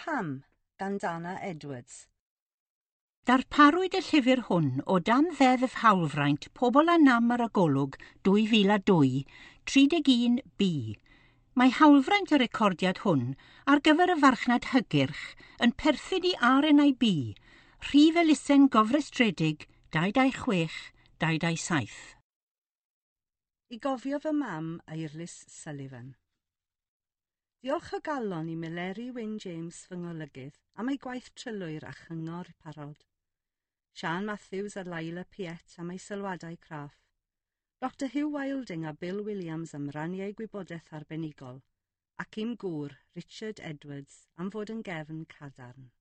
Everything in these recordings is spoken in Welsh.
Pam gan Dana Edwards. Darparwyd y llyfr hwn o dan Ddeddf Hawlfraint Pobl â Nam ar y Golwg 2002, 31B. Mae hawlfraint y recordiad hwn ar gyfer y farchnad hygyrch yn perthyn i RNIB, rhif elusen gofrestredig 226 227. I gofio fy mam, Eirlys Sullivan. Diolch o galon i Meleri Wyn James fy ngolygydd am ei gwaith trylwyr a chyngor parod. Sian Matthews a Laila Piet am ei sylwadau craff. Dr Hugh Wilding a Bill Williams am rannu eu gwybodaeth arbenigol, ac i'm gŵr, Richard Edwards, am fod yn gefn cadarn.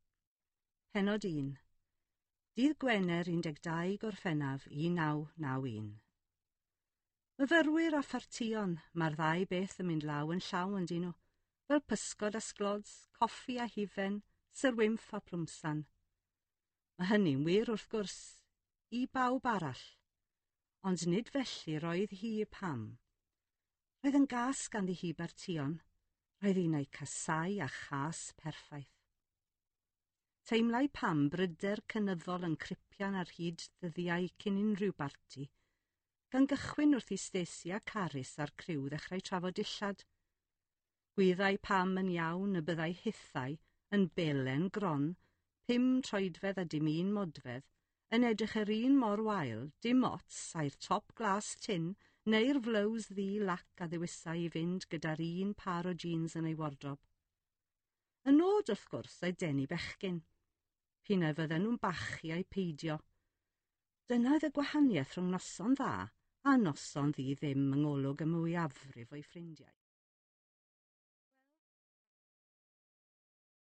Pennod 1. Dydd Gwener 12 Gorffennaf 1991. Myfyrwyr a phartïon, mae'r ddau beth yn mynd law yn llaw yn dyn nhw, fel pysgod a sglods, coffi a hufen, Syr Wynff a plwmsan. Mae hynny'n wir wrth gwrs, i bawb arall, ond nid felly roedd hi Pam. Roedd yn gas ganddi hi bartïon, roedd hi'n eu casau a chas perffaith. Teimlai Pam bryder cynyddol yn cripian ar hyd ddyddiau cyn unrhyw barti, gan gychwyn wrth i Stacey a Carys a'r criw ddechrau trafod dillad. Gwyddai Pam yn iawn y byddai hithau yn belen gron, 5 troedfedd a dim un modfedd, yn edrych yr un mor wael, dim ots ai'r top glas tin neu'r flows ddu lac a ddewisai i fynd gyda'r un par o jeans yn ei wardrob. Y nod, wrth gwrs, oedd denu bechgyn. P'un ai fydden nhw'n bachu ai peidio. Dyna oedd y gwahaniaeth rhwng noson dda a noson ddi ddim yng ngolwg y mwyafrif o'i ffrindiau.